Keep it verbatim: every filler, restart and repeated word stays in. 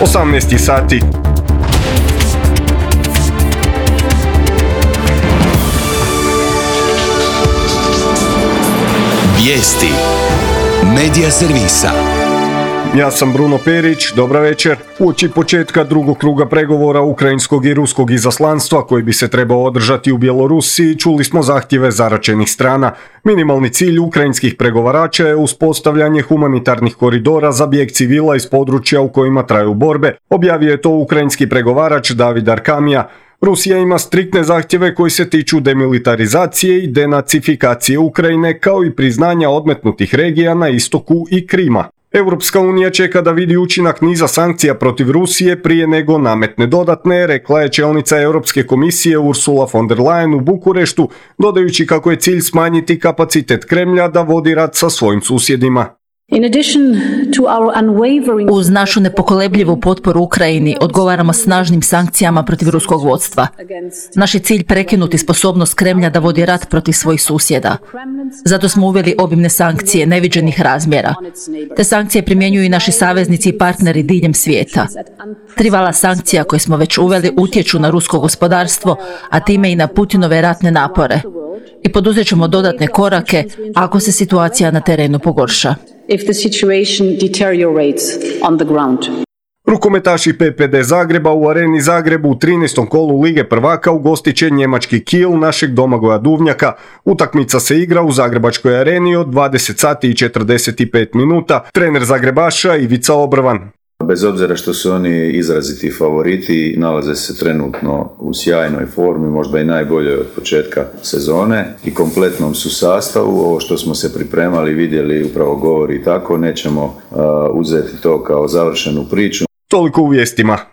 osamnaest sati. Vijesti Medija servisa. Ja sam Bruno Perić, dobra večer. Uoči početka drugog kruga pregovora ukrajinskog i ruskog izaslanstva koji bi se trebao održati u Bjelorusiji, čuli smo zahtjeve zaračenih strana. Minimalni cilj ukrajinskih pregovarača je uspostavljanje humanitarnih koridora za bijeg civila iz područja u kojima traju borbe. Objavio je to ukrajinski pregovarač David Arkamija. Rusija ima striktne zahtjeve koji se tiču demilitarizacije i denacifikacije Ukrajine, kao i priznanja odmetnutih regija na istoku i Krima. Europska unija čeka da vidi učinak niza sankcija protiv Rusije prije nego nametne dodatne, rekla je čelnica Europske komisije Ursula von der Leyen u Bukureštu, dodajući kako je cilj smanjiti kapacitet Kremlja da vodi rat sa svojim susjedima. Uz našu nepokolebljivu potporu Ukrajini odgovaramo snažnim sankcijama protiv ruskog vodstva. Naš je cilj prekinuti sposobnost Kremlja da vodi rat protiv svojih susjeda. Zato smo uveli obimne sankcije neviđenih razmjera. Te sankcije primjenjuju i naši saveznici i partneri diljem svijeta. Tri vala sankcija koje smo već uveli utječu na rusko gospodarstvo, a time i na Putinove ratne napore. I poduzet ćemo dodatne korake ako se situacija na terenu pogorša. If the situation deteriorates on the ground. Rukometaši P P D Zagreba u Areni Zagrebu u trinaestom kolu Lige prvaka ugostit će njemački Kiel našeg Domagoja Duvnjaka. Utakmica se igra u Zagrebačkoj areni od dvadeset sati i četrdeset pet minuta. Trener Zagrebaša Ivica Obrvan. Bez obzira što su oni izraziti favoriti, nalaze se trenutno u sjajnoj formi, možda i najboljoj od početka sezone i kompletnom su sastavu. Ovo što smo se pripremali, vidjeli, upravo govori tako, nećemo uh, uzeti to kao završenu priču. Toliko u vijestima.